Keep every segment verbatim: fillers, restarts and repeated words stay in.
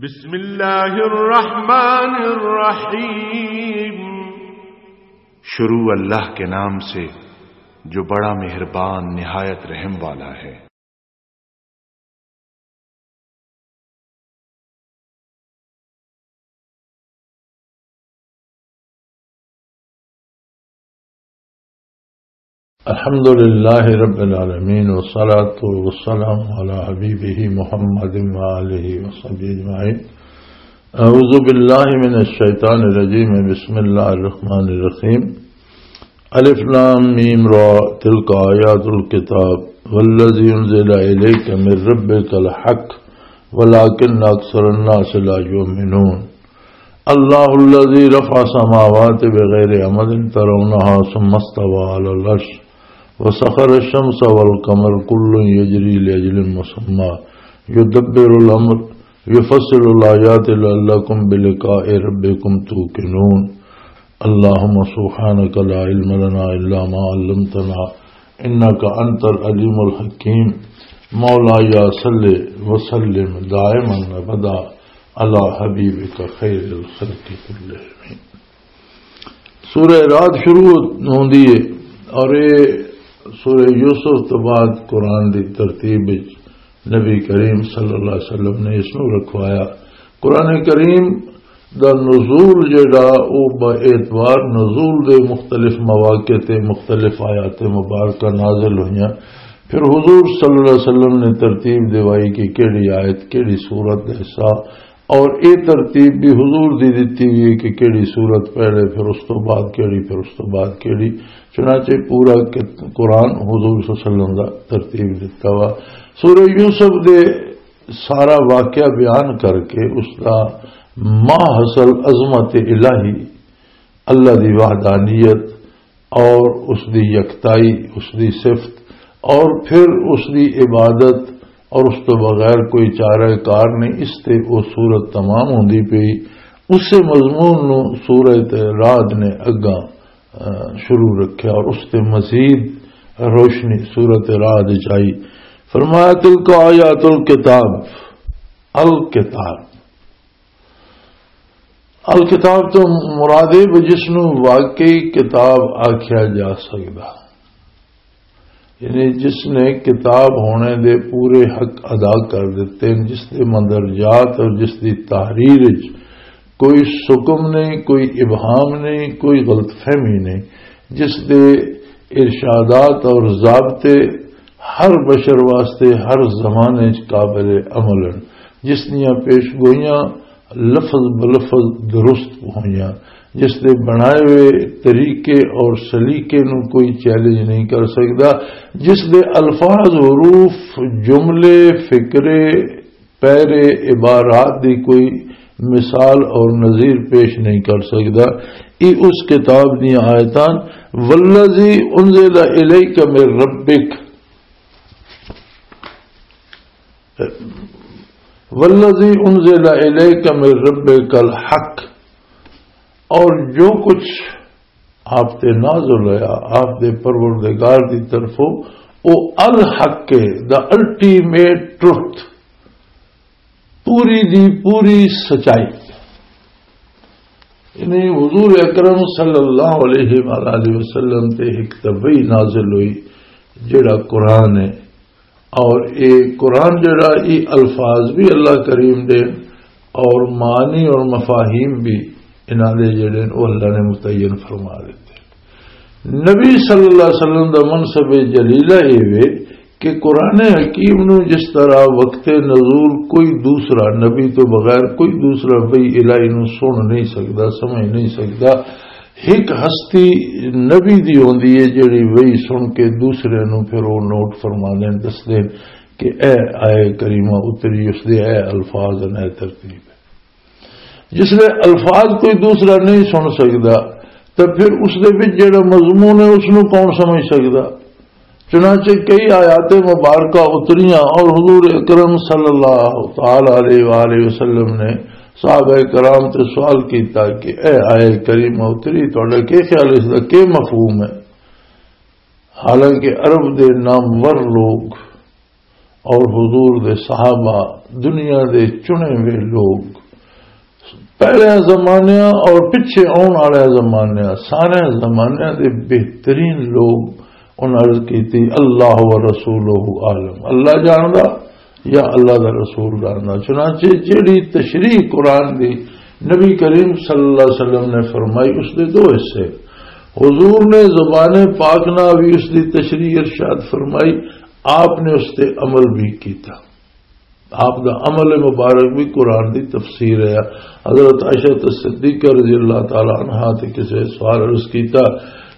بسم اللہ الرحمن الرحیم۔ شروع اللہ کے نام سے جو بڑا مہربان نہایت رحم والا ہے۔ الحمد لله رب العالمين، والصلاة والسلام على حبيبه محمد وآله وصحبه أجمعين. أعوذ بالله من الشيطان الرجيم. بسم الله الرحمن الرحيم. الف لام ميم را، تلك آيات الكتاب، والذي أنزل إليك من ربك الحق، ولكن أكثر الناس لا يؤمنون. الله الذي رفع السماوات بغير عمد ترونها ثم استوى على العرش وسخر الشمس والقمر كل يجري لأجل مسمى يدبر الأمر يفصل الآيات لعلكم بلقاء ربكم توقنون. اللهم سبحانك لا علم لنا إلا ما علمتنا إنك أنت العليم الحكيم. مولاي صل وسلم دائما أبدا على حبيبك خير الخلق كلهم. سورہ رعد شروع ہوندی ہے اور یہ سورہ یوسف تو بعد قرآن دی ترتیب وچ نبی کریم صلی اللہ علیہ وسلم نے اس نو رکھوایا۔ قرآن کریم دا نزول جڑا، او با اعتبار نزول دے مختلف مواقع تے مختلف آیات مبارکہ نازل ہوئیاں۔ پھر حضور صلی اللہ علیہ وسلم نے ترتیب دیوائی کہ کیڑی آیت، کیڑی سورت دا حصہ، اور اے ترتیب بھی حضور دی دتی ہوئی ہے کہ کیڑی سورت پہلے، پھر اس تو بعد کیڑی، پھر اس تو بعد کیڑی۔ چنانچہ پورا کت-، قرآن حضور صلی اللہ علیہ وسلم دا ترتیب دتا ہوا۔ سورہ یوسف دے سارا واقعہ بیان کر کے اس دا ماحصل عظمت الہی، اللہ دی وحدانیت اور اس دی یکتائی، اس دی صفت، اور پھر اس دی عبادت اور اس تو بغیر کوئی چارہ کار نہیں، اس تے وہ سورت تمام ہوندی پئی۔ اسے مضمون نو سورت رعد نے اگاں، آ، شروع رکھیا اور اس تے مزید روشنی سورت رعد وچ آئی۔ فرمایا، "تلک آیات الکتاب۔" الکتاب۔ الکتاب تو مراد ہے وہ جس نو واقعی کتاب آکھیا جا سکدا، یعنی جس نے کتاب ہونے دے پورے حق ادا کر دیتے ہیں، جس دے مندرجات اور جس دی تحریر وچ کوئی سکم نہیں، کوئی ابہام نہیں، کوئی غلط فہمی نہیں، جس دے ارشادات اور ضابطے ہر بشر واسطے ہر زمانے وچ قابل عمل ہیں، جس دیاں پیش گوئیاں لفظ بلفظ درست ہوئیاں، جس دے بنائے ہوئے طریقے اور سلیقے نو کوئی چیلنج نہیں کر سکدا، جس دے الفاظ، حروف، جملے، فقرے، پیرے، عبارات دی کوئی مثال اور نظیر پیش نہیں کر سکدا۔ یہ اس کتاب دیاں آیتاں، "والذی انزل الیک من ربک"، "والذی انزل الیک من ربک الحق"، اور جو کچھ آپ تے نازل ہویا آپ دے پروردگار دی طرفوں، او الحق ہے، دا الٹیمیٹ ٹروتھ، پوری دی پوری سچائی۔ یعنی حضور اکرم صلی اللہ علیہ وآلہ وسلم تے ایک طبعی نازل ہوئی، جڑا قرآن ہے۔ اور اے قرآن جڑا، اے الفاظ بھی اللہ کریم دے اور معنی اور مفاہیم بھی انہاں دے جڑے نے، وہ اللہ نے متعین فرما دیتے۔ نبی صلی اللہ علیہ وسلم دا منصب جلیلہ اے وے کہ قرآن حکیم نو جس طرح وقت نزول کوئی دوسرا نبی تو بغیر کوئی دوسرا بھئی الہی نو سن نہیں سکدا، سمجھ نہیں سکدا، ایک ہستی نبی دی ہوندی ہے جڑی وہی سن کے دوسرے نو پھر وہ نوٹ فرما دین، دس دین کہ اے آئے کریمہ اتری، اس دے اے الفاظ ہیں، اے ترتیب ہے۔ جس لے الفاظ کوئی دوسرا نہیں سن سکدا، تو پھر اس دے وچ جڑا مضمون ہے، اس نو کون سمجھ سکدا؟ چنانچہ کئی آیات مبارکہ اتریاں اور حضور اکرم صلی اللہ تعالی علیہ وآلہ وسلم نے صحابہ کرام تے سوال کیتا کہ اے آئے کریمہ اتری، تہاڈا کی خیال ہے، اس دا کی مفہوم ہے؟ حالانکہ عرب دے نامور لوگ اور حضور دے صحابہ، دنیا دے چنے ہوئے لوگ، پہلے زمانیاں اور پچھے آن والے زمانیاں، سارے زمانیاں دے بہترین لوگ، انہاں عرض کیتی، "اللہ و رسولہ عالم"، اللہ جاندا یا اللہ دا رسول جاندا۔ چنانچہ جیڑی تشریح قرآن دی نبی کریم صلی اللہ علیہ وسلم نے فرمائی، اس دے دو حصے۔ حضور نے زبان پاک نہ بھی اس دی تشریح ارشاد فرمائی، آپ نے اس تے عمل بھی کیتا۔ آپ دا عمل مبارک بھی قرآن دی تفسیر ہے۔ حضرت عائشہ صدیقہ رضی اللہ تعالی عنہا تے کسے سوال عرض کیتا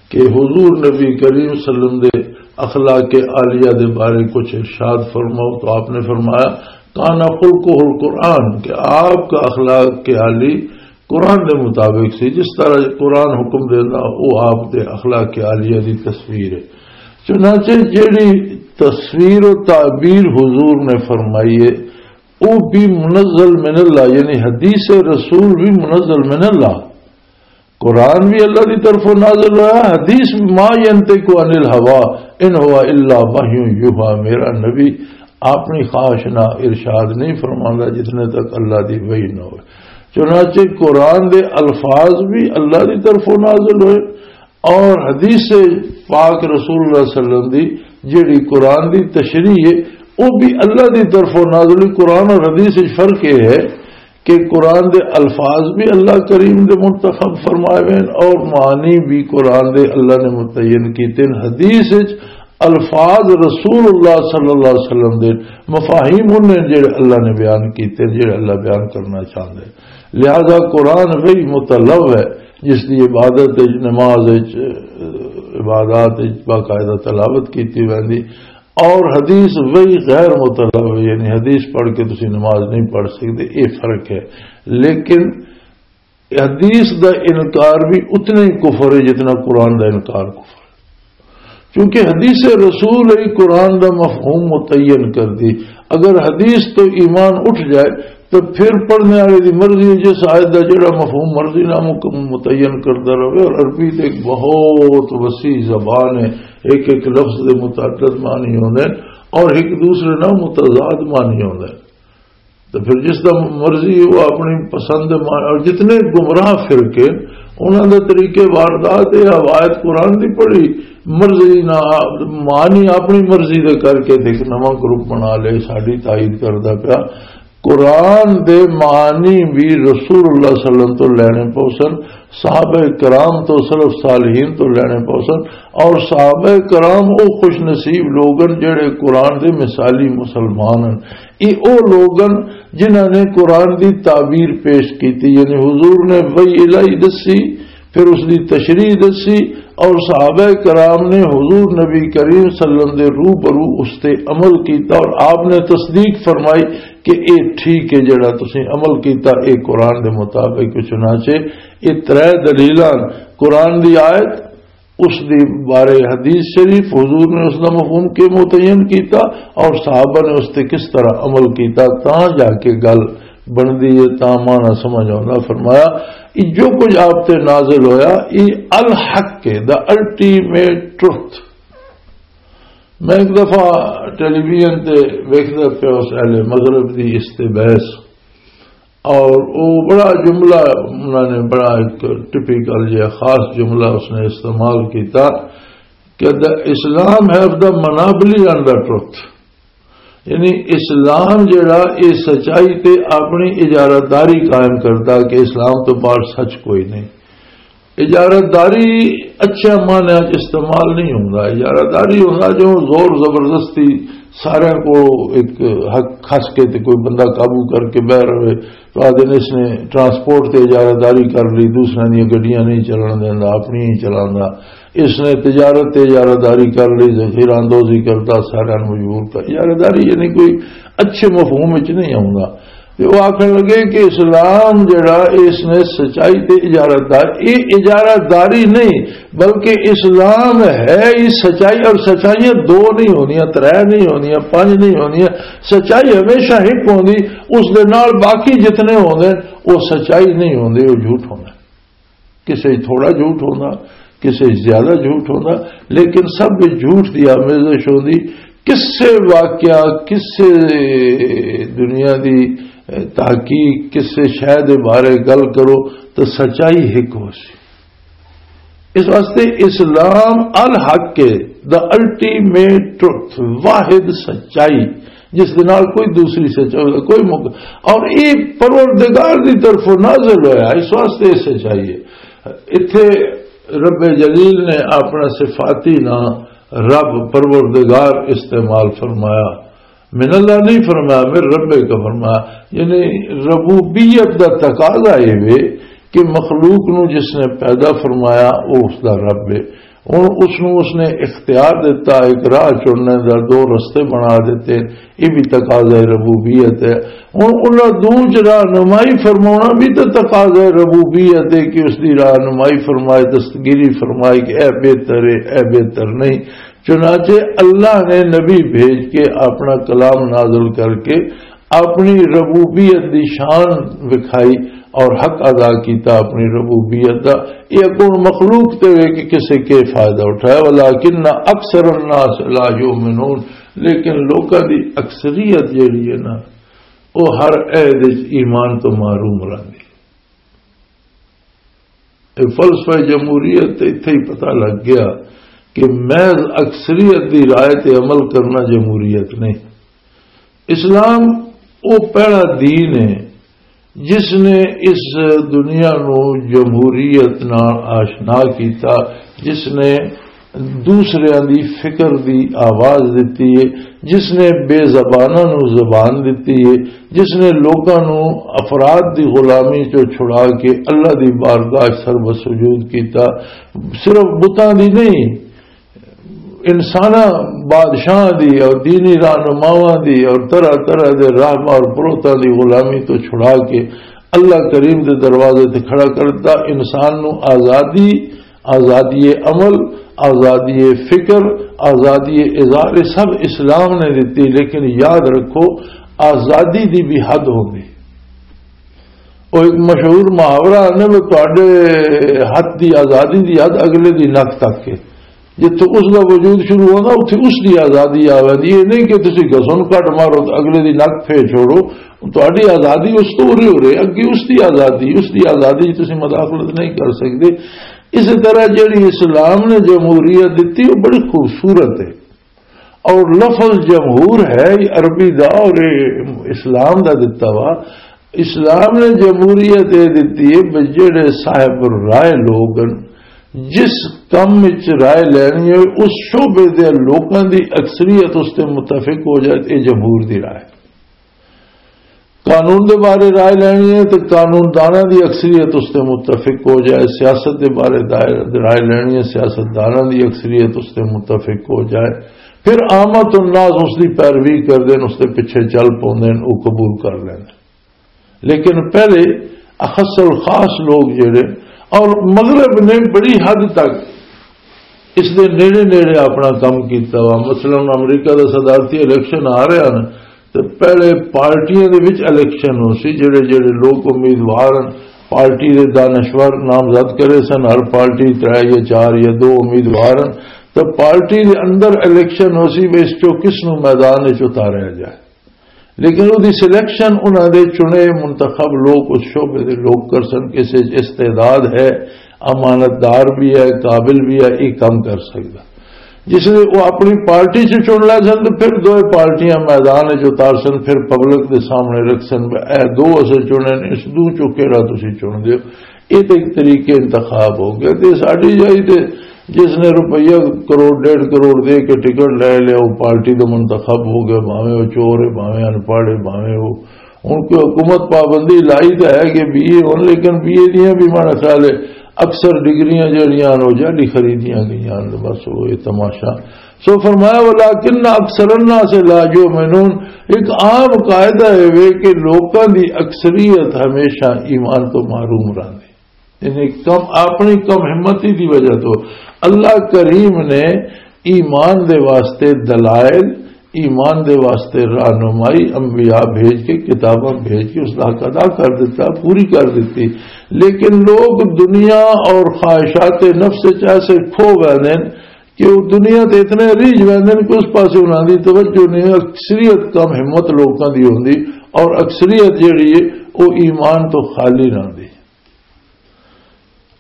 کہ حضور نبی کریم صلی اللہ علیہ وسلم دے اخلاق عالیہ دے بارے کچھ ارشاد فرماؤ، تو آپ نے فرمایا، "کان خلقہ القرآن"، کہ آپ کا اخلاق عالی قرآن دے مطابق سی، جس طرح قرآن حکم دیندا، وہ آپ دے اخلاق عالیہ دی تصویر ہے۔ چنانچہ جیڑی تصویر و تعبیر حضور نے فرمائی ہے، وہ بھی منزل من اللہ، یعنی حدیث رسول بھی منزل من اللہ۔ قرآن بھی اللہ دی طرفوں نازل ہوا، حدیث بھی، "ما ینطق عن الہوا ان ہوا الا وحی یوحی"، میرا نبی اپنی خواہش نہ ارشاد نہیں فرماندا جتنے تک اللہ دی وحی نہ ہوئے۔ چنانچہ قرآن دے الفاظ بھی اللہ دی طرفوں نازل ہوئے، اور حدیث پاک رسول اللہ صلی اللہ علیہ وسلم دی جڑی قرآن دی تشریح ہے، وہ بھی اللہ دی طرفوں نازل ہوئی۔ قرآن اور حدیث وچ فرق یہ ہے کہ قرآن دے الفاظ بھی اللہ کریم دے منتخب فرمائے ہوئے ہیں اور معنی بھی قرآن دے اللہ نے متعین کیتے ہیں۔ حدیث وچ الفاظ رسول اللہ صلی اللہ علیہ وسلم دے، مفاہیم انہیں جڑے اللہ نے بیان کیتے ہیں، جڑے اللہ بیان کرنا چاہتے ہیں۔ لہذا قرآن وہی متلو ہے، جس دی عبادت وچ، نماز وچ، عبادات وچ باقاعدہ تلاوت کیتی ویندی، اور حدیث وہی غیر متلو ہے، یعنی حدیث پڑھ کے تسی نماز نہیں پڑھ سکتے، یہ فرق ہے۔ لیکن حدیث دا انکار بھی اتنا ہی کفر ہے جتنا قرآن دا انکار کفر ہے۔ کیونکہ حدیث رسول ہی قرآن دا مفہوم متعین کر دی۔ اگر حدیث تو ایمان اٹھ جائے تو پھر پڑھنے والے دی مرضی ہے، جس آیت دا جڑا مفہوم مرضی نہ مک-، متعین کردا رہے۔ اور عربی تے ایک بہت وسیع زبان ہے، ایک ایک لفظ دے متعدد معنی ہوندے ہیں اور ایک دوسرے نال متضاد معنی ہوندے ہیں۔ تو پھر جس دا مرضی وہ اپنی پسند مان-، اور جتنے گمراہ فرقے، انہاں دے طریقے واردات، یہ روایت قرآن دی پڑھی، مرضی نہ، معنی اپنی مرضی دے کر کے دیکھ نواں گروپ بنا لے، ساڈی تائید کردا پیا۔ قرآن دے معنی بھی رسول اللہ صلی اللہ علیہ وسلم تو لینے پوسن، صحابہ کرام تو، سلف صالحین تو لینے پوسن، اور صحابہ کرام او خوش نصیب لوگن جڑے قرآن دے مثالی مسلمان ہیں۔ یہ او لوگن جنہاں نے قرآن دی تعبیر پیش کیتی، یعنی حضور نے وحی الہی دسی، پھر اس دی تشریح دسی، اور صحابہ کرام نے حضور نبی کریم صلی اللہ علیہ وسلم دے روبرو اس تے عمل کیتا اور آپ نے تصدیق فرمائی کہ اے ٹھیک ہے، جڑا تسیں عمل کیتا، اے قرآن دے مطابق۔ چنانچہ اے ترے دلیلاں، قرآن دی آیت، اس دی بارے حدیث شریف، حضور نے اس دا مفہوم کے متعین کیتا اور صحابہ نے اس تے کس طرح عمل کیتا، تاں جا کے گل بندی ہے، تاں معنی سمجھ آوندا۔ فرمایا، "یہ جو کچھ آپ تے نازل ہویا، یہ الحق ہے، دا الٹیمیٹ ٹروتھ۔" میں ایک دفعہ ٹیلی ویژن تے ویکھدا پیا اس اہل مغرب دی اس تے بحث، اور وہ بڑا جملہ، انہوں نے بڑا ایک ٹپیکل جہا خاص جملہ اس نے استعمال کیتا کہ "The Islam have the monopoly on the truth"، یعنی اسلام جڑا یہ سچائی تے اپنی اجارہ داری قائم کرتا کہ اسلام تو باہر سچ کوئی نہیں۔ اجارہ داری اچھے معنی وچ استعمال نہیں ہوندا۔ اجارہ داری ہوندا جو زور زبردستی سارے کو ایک حق کھس کے تے کوئی بندہ قابو کر کے بہ رہے۔ تو آدھے نے اس نے ٹرانسپورٹ تے اجارہ داری کر لی، دوسرے دی گڈیاں نہیں چلن دیندا، اپنی ہی چلاندا۔ اس نے تجارت تے اجارہ داری کر لی، ذخیرہ اندوزی کرتا، سارے نوں مجبور کر۔ اجارہ داری یعنی کوئی اچھے مفہوم وچ نہیں آوندا۔ تے وہ آکھن لگے کہ اسلام جڑا، اس نے سچائی تے اجارہ دار، یہ اجارہ داری نہیں، بلکہ اسلام ہے ہی سچائی، اور سچائیاں دو نہیں ہوندیاں، ترے نہیں ہوندیاں، پنج نہیں ہوندیاں۔ سچائی ہمیشہ ایک ہوندی، اس دے نال باقی جتنے ہوندے، وہ سچائی نہیں ہوندے، وہ جھوٹ ہوندے۔ کسے وچ تھوڑا جھوٹ ہوندا، کسے وچ زیادہ جھوٹ ہوندا، لیکن سب وچ جھوٹ دی آمیزش ہوندی۔ کسے واقعہ، کسے دنیا دی تحقیق، کسے شے دے بارے گل کرو تو سچائی ایک ہو سی۔ اس واسطے اسلام الحق ہے، دا الٹیمیٹ ٹروتھ، واحد سچائی، جس دے نال کوئی دوسری سچائی، کوئی مق-، اور یہ پروردگار دی طرفوں نازل ہویا، اس واسطے یہ سچائی ہے۔ اتھے رب جلیل نے اپنا صفاتی نام رب پروردگار استعمال فرمایا، من اللہ نہیں فرمایا، میرے رب کا فرمایا۔ یعنی ربوبیت دا تقاضا یہ وے کہ مخلوق نو جس نے پیدا فرمایا، وہ اس دا رب ہے۔ ہن اس نو اس نے اختیار دتا، ایک راہ چننے دا، دو رستے بنا دیتے، یہ بھی تقاضا ربوبیت ہے۔ ہن انہاں دو چ رہنمائی فرماونا بھی تو تقاضا ربوبیت ہے کہ اس دی رہنمائی فرمائے، دستگیری فرمائے کہ اے بہتر ہے، اے بہتر نہیں۔ چنانچہ اللہ نے نبی بھیج کے اپنا کلام نازل کر کے اپنی ربوبیت دی شان وکھائی اور حق ادا کیتا اپنی ربوبیت دا۔ یہ کون مخلوق تے وے کہ کسے کے فائدہ اٹھایا، ولکن اکثر الناس لا یؤمنون، لیکن لوکاں دی اکثریت جیڑی ہے نا، وہ ہر عہد وچ ایمان تو محروم رہندی۔ یہ فلسفہ جمہوریت تے اتھے ہی پتہ لگ گیا کہ محض اکثریت دی رائے تے عمل کرنا جمہوریت نہیں۔ اسلام وہ پہلا دین ہے جس نے اس دنیا نو جمہوریت نال آشنا کیتا، جس نے دوسریاں دی فکر دی آواز دتی ہے، جس نے بے زباناں نو زبان دتی ہے، جس نے لوکاں نو افراد دی غلامی چوں چھڑا کے اللہ دی بارگاہ سر و سجود کیتا، صرف بتاں دی نہیں، انساناں، بادشاہاں دی اور دینی رہنماواں دی اور طرح طرح دے راہباں اور پروتاں دی غلامی تو چھڑا کے اللہ کریم دے دروازے تے کھڑا کر دتا۔ انسان نو آزادی، آزادی عمل، آزادی فکر، آزادی اظہار، یہ سب اسلام نے دتی۔ لیکن یاد رکھو، آزادی دی بھی حد ہوندی۔ وہ ایک مشہور محاورہ نے، وہ تواڈے ہاتھ دی آزادی دی حد اگلے دی نک تک ہے۔ جتھے اس دا وجود شروع ہوندا، اتھے اس دی آزادی آ ویندی۔ یہ نہیں کہ تسی گھسن کٹ مارو تے اگلے دی نک پھیر چھوڑو۔ تہاڈی آزادی اس تو اُرے ہو رہے، اگے اس دی آزادی، اس دی آزادی وچ تسی مداخلت نہیں کر سکدے۔ اسی طرح جڑی اسلام نے جمہوریت دتی، وہ بڑی خوبصورت ہے۔ اور لفظ جمہور ہے یہ عربی دا اور یہ اسلام دا دتا وا۔ اسلام نے جمہوریت یہ دتی ہے بھی جڑے صاحب رائے لوگ ہن، جس کم وچ رائے لینی ہے، اس شعبے دے لوکاں دی اکثریت اس تے متفق ہو جائے، تے جمہور دی رائے۔ قانون دے بارے رائے لینی ہے تے قانون داناں دی اکثریت اس تے متفق ہو جائے، سیاست دے بارے دائر-، رائے لینی ہے، سیاست داناں دی اکثریت اس تے متفق ہو جائے، پھر عامت الناس اس دی پیروی کر دین، اس دے پیچھے چل پوندے نے، او قبول کر لیندے۔ لیکن پہلے اخص الخاص لوگ جڑے، اور مغرب نے بڑی حد تک اس دے نیڑے نیڑے اپنا کم کیتا وا۔ مثلاً امریکہ دا صدارتی الیکشن آ رہا نا، تے پہلے پارٹیاں دے وچ الیکشن ہو سی، جڑے جڑے لوگ امیدوار ہن، پارٹی دے دانشور نامزد کرے سن، ہر پارٹی ترے یا چار یا دو امیدوار ہن، تے پارٹی دے اندر الیکشن ہو سی، وی اس چوں کس نوں میدان وچ اتاریا جائے۔ لیکن وہ دی سلیکشن انہاں دے چنے منتخب لوگ، اس شعبے دے لوگ کر سن، کسے چ استعداد ہے، امانت دار بھی ہے، قابل بھی ہے، یہ کام کر سکدا۔ جس نے وہ اپنی پارٹی چ چن لے سن، تو پھر دوئے پارٹیاں میدان چ اتار سن، پھر پبلک دے سامنے رکھ سن، اے دو اسے چنے نے، اس دو چوں کیڑا تسی چن دیو۔ یہ تو ایک طریقے انتخاب ہو گیا۔ تے ساڈی جائی تے جس نے روپیہ کروڑ، ڈیڑھ کروڑ دے کے ٹکٹ لے لیا، وہ پارٹی دا منتخب ہو گیا، بھاویں وہ چور ہے، بھاویں ان پڑھ ہے، بھاویں وہ، ہن کوئی حکومت پابندی لائی تو ہے کہ بی اے ہن، لیکن بی اے دیاں بھی ماڑا خیال ہے اکثر ڈگریاں جڑیاں ہن، وہ جعلی خریدیاں گئیاں ہن۔ بس وہ یہ تماشا۔ سو فرمایا، "ولکن اکثر الناس لا یؤمنون۔" ایک عام قاعدہ ہے وے کہ لوکاں دی اکثریت ہمیشہ ایمان تو محروم رہندی۔ یعنی کم، اپنی کم ہمتی دی وجہ تو اللہ کریم نے ایمان دے واسطے دلائل، ایمان دے واسطے رہنمائی، انبیاء بھیج کے، کتاباں بھیج کے اس دا حق ادا کر دیتا، پوری کر دیتی۔ لیکن لوگ دنیا اور خواہشات نفس وچ ایسے کھو گئے ہیں کہ وہ دنیا تے اتنے ریجھ ویندے نے کہ اس پاسے انہاں دی توجہ نہیں۔ اکثریت کم ہمت لوکاں دی ہوندی، اور اکثریت جڑی ہے، وہ ایمان تو خالی رہندی۔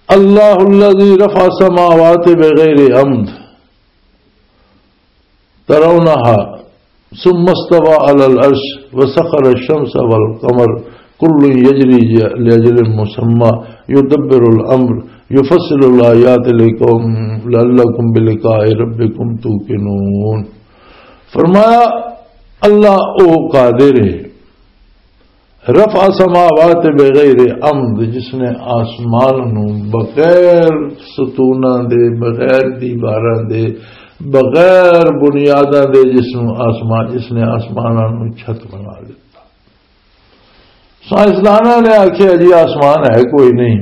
اللہ الذی رفع السماوات بغیر عمد ترونها ثم استوى على العرش وسخر الشمس والقمر كل يجري لأجل مسمى يدبر الأمر يفصل الآيات لقوم لعلكم بلقاء ربكم توقنون۔ فرمایا، اللہ او قادر ہے، رفع سماوات بغیر عمد، جس نے آسمان نو بغیر ستوناں دے، بغیر دیواراں دے، بغیر بنیاداں دے، جس نو آسمان، جس نے آسماناں نو چھت بنا دتا۔ سائنسداناں نے آکھیا جی آسمان ہے کوئی نہیں،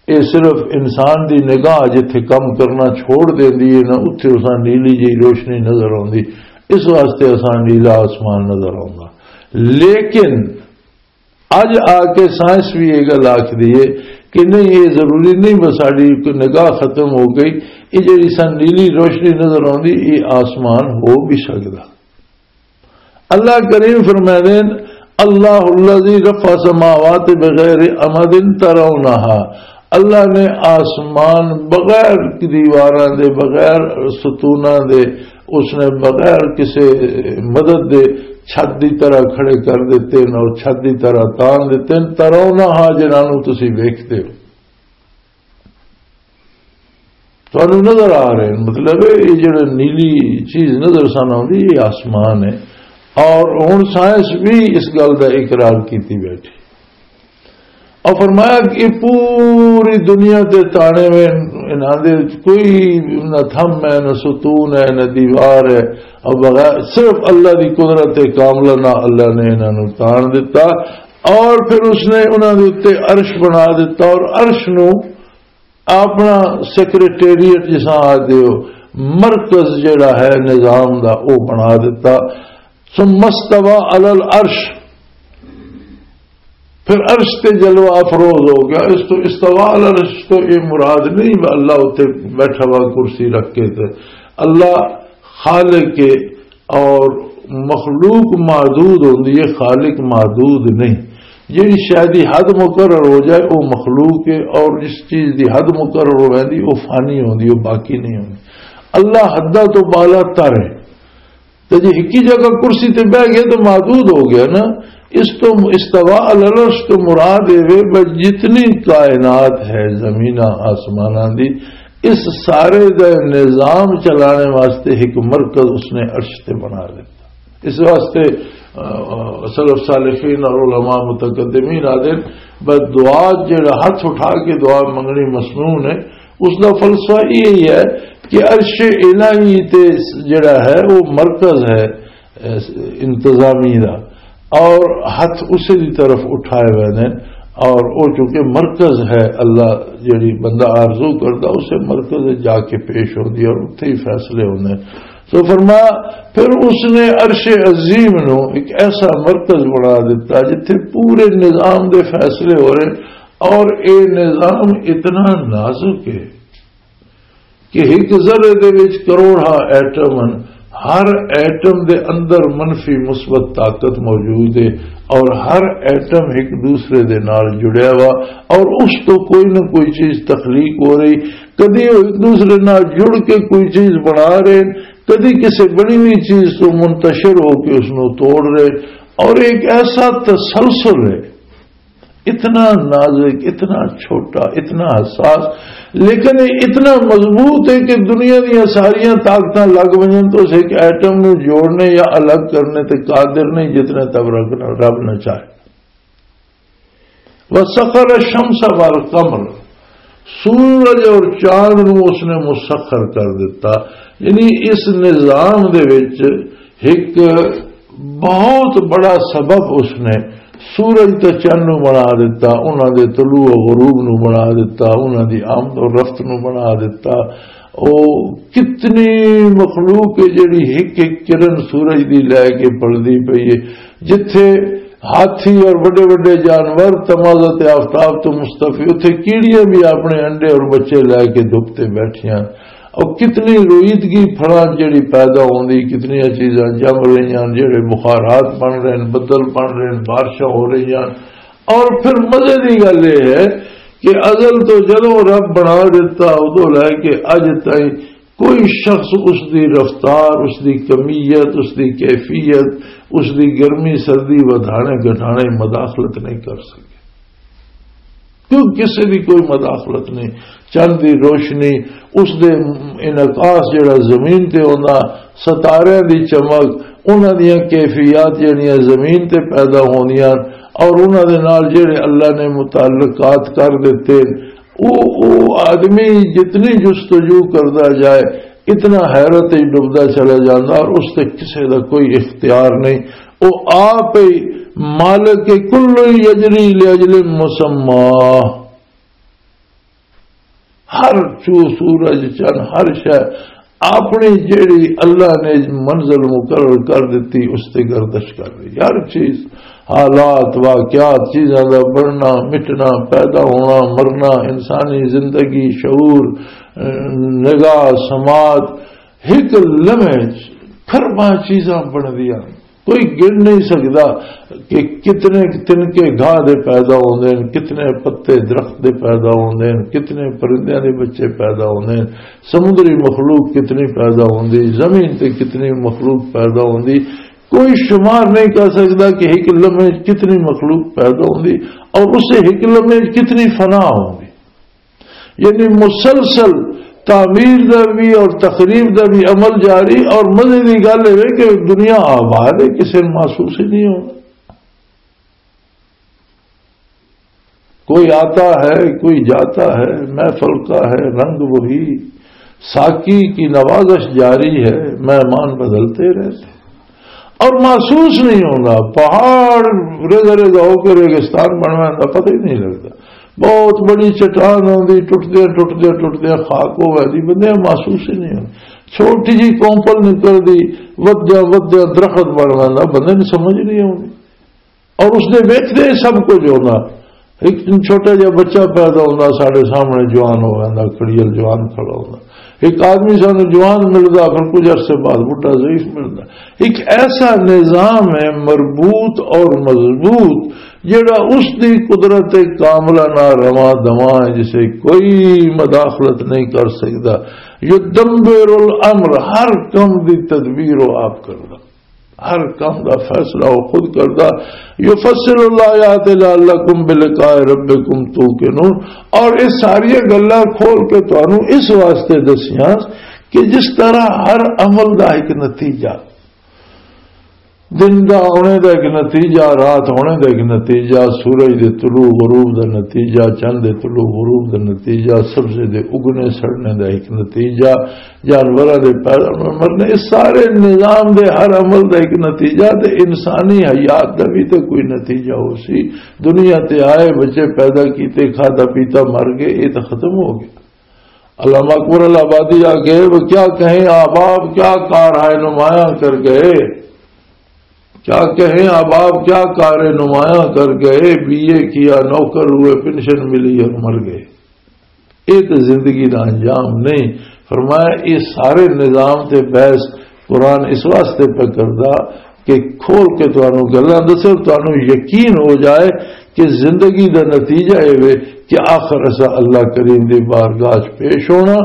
اے صرف انسان دی نگاہ جتھے کم کرنا چھوڑ دیندی ہے نا، اتھے اساں نیلی جی روشنی نظر آندی، اس واسطے اساں نیلا آسمان نظر آندا۔ لیکن اج آ کے سائنس بھی یہ گل آکھدی ہے کہ نہیں، یہ ضروری نہیں بس ساڈی کوئی نگاہ ختم ہو گئی، یہ جڑی سن نیلی روشنی نظر آندی، یہ آسمان ہو بھی سکدا۔ اللہ کریم فرمائے دین، اللہ الذی رفع سماوات بغیر عمد ترونہا، اللہ نے آسمان بغیر دیواراں دے، بغیر ستوناں دے، اس نے بغیر کسے مدد دے چھت دی طرح کھڑے کر دیتے ہیں اور چھت دی طرح تان دیتے ہیں، ترونہا، جنہاں نوں تسی ویکھدے ہو۔ تانوں نظر آ رہے ہیں، مطلب ہے، یہ جڑے نیلی چیز نظر سان آؤندی، یہ آسمان ہے۔ اور ہن سائنس بھی اس گل دا اقرار کیتی بیٹھی۔ اور فرمایا کہ یہ پوری دنیا تے تانے میں انہاں دے کوئی نہ تھم ہے، نہ ستون ہے، نہ دیوار ہے، اور بغیر صرف اللہ دی قدرت کاملہ نہ اللہ نے انہاں نوں تان دتا۔ اور پھر اس نے انہاں دے اُتے عرش بنا دتا اور عرش نوں اپنا سیکرٹریٹ جساں آ دیو، مرکز جڑا ہے نظام دا، او بنا دتا۔ ثم استوى على العرش، پھر عرش تے جلوہ افروز ہو گیا۔ اس تو استوا علی العرش تو یہ مراد نہیں کہ اللہ اتنے بیٹھا ہوا کرسی رکھ کے تے۔ اللہ خالق ہے اور مخلوق محدود ہوندی ہے، خالق محدود نہیں۔ جیڑی شے دی حد مقرر ہو جائے، وہ مخلوق ہے، اور جس چیز دی حد مقرر ہو ویندی، وہ فانی ہوندی، وہ باقی نہیں ہوندی۔ اللہ حداں تو بالا تر ہے۔ تے جے ہکی جگہ کرسی تے بہ گئے تو محدود ہو گیا نا۔ اس تو استوا علی العرش تو مراد اے وے بس جتنی کائنات ہے، زمیناں آسماناں دی، اس سارے دا نظام چلانے واسطے ایک مرکز اس نے عرش تے بنا دیتا۔ اس واسطے، آ، آ، سلف صالحین اور علماء متقدمین آدھے بس دعا جڑا ہاتھ اٹھا کے دعا منگنی مسنون ہے، اس دا فلسفہ یہی ہے کہ عرش الہی تے جڑا ہے وہ مرکز ہے، اس انتظامی دا، اور ہاتھ اسے دی طرف اٹھائے ہوئے نے، اور وہ چونکہ مرکز ہے، اللہ جڑی بندہ آرزو کردا اسے مرکز جا کے پیش ہوندی اور اتھے ہی فیصلے ہوندے۔ تو فرمایا، پھر اس نے عرش عظیم نو ایک ایسا مرکز بنا دیتا جتھے پورے نظام دے فیصلے ہو رہے، اور اے نظام اتنا نازک ہے کہ ایک ذرے دے وچ کروڑاں ایٹم ہن، ہر ایٹم دے اندر منفی مثبت طاقت موجود ہے، اور ہر ایٹم ایک دوسرے دے نال جڑیا ہوا، اور اس تو کوئی نہ کوئی چیز تخلیق ہو رہی۔ کدی وہ ایک دوسرے نال جڑ کے کوئی چیز بنا رہے، کدی کسی بنی ہوئی چیز تو منتشر ہو کے اس نو توڑ رہے، اور ایک ایسا تسلسل ہے، اتنا نازک، اتنا چھوٹا، اتنا حساس، لیکن یہ اتنا مضبوط ہے کہ دنیا دیاں ساریاں طاقتاں لگ ونجن تو اس ایک ایٹم نو جوڑنے یا الگ کرنے تے قادر نہیں جتنے تک رب نہ، رب نہ چاہے۔ وسخر الشمس والقمر، سورج اور چاند نو اس نے مسخر کر دیتا۔ یعنی اس نظام دے وچ ایک بہت بڑا سبب اس نے سورج تے چند نو بنا دیتا، انہاں دے طلوع و غروب نو بنا دیتا، انہاں دی آمد و رفت نو بنا دیتا۔ او کتنی مخلوق ہے جڑی ایک ایک کرن سورج دی لے کے پلدی پئی ہے۔ جتھے ہاتھی اور وڈے وڈے جانور تمازت آفتاب تو مستفی، اتھے کیڑیاں بھی اپنے انڈے اور بچے لے کے دھپ تے بیٹھیاں۔ اور کتنی رویدگی پھڑاں جڑی پیدا ہوندی، کتنیاں چیزاں جم رہیاں، جڑے بخارات بن رہے ہیں، بدل بن رہے ہیں، بارشاں ہو رہیاں۔ اور پھر مزے دی گل یہ ہے کہ ازل تو جدوں رب بنا دیتا، ادوں لے کے اج تائیں کوئی شخص اس دی رفتار، اس دی کمیت، اس دی کیفیت، اس دی گرمی سردی، ودھانے گھٹانے، مداخلت نہیں کر سکے۔ کیوں؟ کسی دی کوئی مداخلت نہیں۔ چند دی روشنی، اس دے انعکاس جڑا زمین تے ہوندا، ستاریاں دی چمک، انہاں دیاں کیفیات جڑیاں زمین تے پیدا ہوندیاں، اور انہاں دے نال جڑے اللہ نے متعلقات کر دتے، او، او آدمی جتنی جستجو کردا جائے، اتنا حیرت وچ ڈبدا چلا جاندا، اور اس تے کسے دا کوئی اختیار نہیں۔ او آپ ہی مالک، کل یجری لاجل مسمی۔ ہر چو، سورج، چن، ہر شے اپنی جیڑی اللہ نے منزل مقرر کر دیتی، اس تے گردش کر رہی۔ ہر چیز، حالات، واقعات، چیزاں دا بڑھنا، مٹنا، پیدا ہونا، مرنا، انسانی زندگی، شعور، نگاہ، سماعت، ایک لمحے چ کھرباں چیزاں بندیاں۔ کوئی گن نہیں سکدا کہ کتنے تنکے گھاہ دے پیدا ہوندے ہیں، کتنے پتے درخت دے پیدا ہوندے ہیں، کتنے پرندیاں دے بچے پیدا ہوندے ہیں، سمندری مخلوق کتنی پیدا ہوندی، زمین تے کتنی مخلوق پیدا ہوندی۔ کوئی شمار نہیں کر سکدا کہ ایک لمحے کتنی مخلوق پیدا ہوندی اور اسے ایک لمحے کتنی فنا ہوندی۔ یعنی مسلسل تعمیر دا بھی اور تخریب دا بھی عمل جاری۔ اور مزے دی گل اے کہ دنیا آباد ہے، کسے نوں محسوس ہی نہیں ہونا۔ کوئی آتا ہے، کوئی جاتا ہے، محفل کا ہے رنگ وہی، ساقی کی نوازش جاری ہے، مہمان بدلتے رہتے۔ اور محسوس نہیں ہوتا، پہاڑ ریزہ ریزہ ہو کے ریگستان بننا کا پتہ ہی نہیں لگتا۔ بہت بڑی چٹان ہوندی، ٹوٹدے ٹوٹدے ٹوٹدے خاک ہو گئی، بندے محسوس ہی نہیں ہوتا۔ چھوٹی جی کومپل نکل دی، ودیا ودیا درخت بن جاتا، بندے نوں سمجھ نہیں آتی۔ اور اس دے ویکھدے سب کچھ ہونا۔ ایک چھوٹا جہا بچہ پیدا ہونا، ساڈے سامنے جوان ہو جانا، کڑیل جوان کھڑا ہونا۔ ایک آدمی سانو جوان ملدا، پھر کچھ عرصے بعد بڈھا ضعیف ملدا۔ ایک ایسا نظام ہے مربوط اور مضبوط، جڑا اس دی قدرت کاملہ نال رواں دواں ہے، جسے کوئی مداخلت نہیں کر سکدا۔ یدبر الامر، ہر کم دی تدبیر وہ آپ کردا، ہر کم دا فیصلہ وہ خود کردا۔ یفصل الآیات لعلکم بلقاء ربکم توقنون، اور یہ ساری گلاں کھول کے تانوں اس واسطے دسیاں کہ جس طرح ہر عمل دا ایک نتیجہ، دن دا ہونے دا ایک نتیجہ، رات ہونے دا ایک نتیجہ، سورج دے طلوع غروب دا نتیجہ، چند دے طلوع غروب دا نتیجہ، سبزے دے اگنے سڑنے دا ایک نتیجہ، جانوراں دے پیدا مرنے، اس سارے نظام دے ہر عمل دا ایک نتیجہ، تے انسانی حیات دا بھی تے کوئی نتیجہ ہو سی۔ دنیا تے آئے، بچے پیدا کیتے، کھادا پیتا، مر گئے، یہ تو ختم ہو گیا۔ علامہ اکبر آبادی آ گئے، وہ کیا کہیں احباب، کیا کار ہے نمایاں کر گئے، کیا کہیں احباب، کیا کار نمایاں کر گئے، بی اے کیا، نوکر ہوئے، پنشن ملی اور مر گئے۔ یہ تو زندگی دا انجام نہیں۔ فرمایا، یہ سارے نظام تے بحث قرآن اس واسطے پہ کردا کہ کھول کے تانوں گلاں دسے اور تانوں یقین ہو جائے کہ زندگی دا نتیجہ اے وے کہ آخر اسا اللہ کریم دی بارگاہ چ پیش ہونا،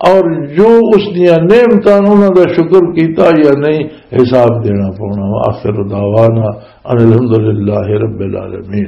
اور جو اس دیاں نعمتاں انہاں دا شکر کیتا یا نہیں، حساب دینا پونا۔ آخر دعوانا ان الحمدللہ رب العالمین۔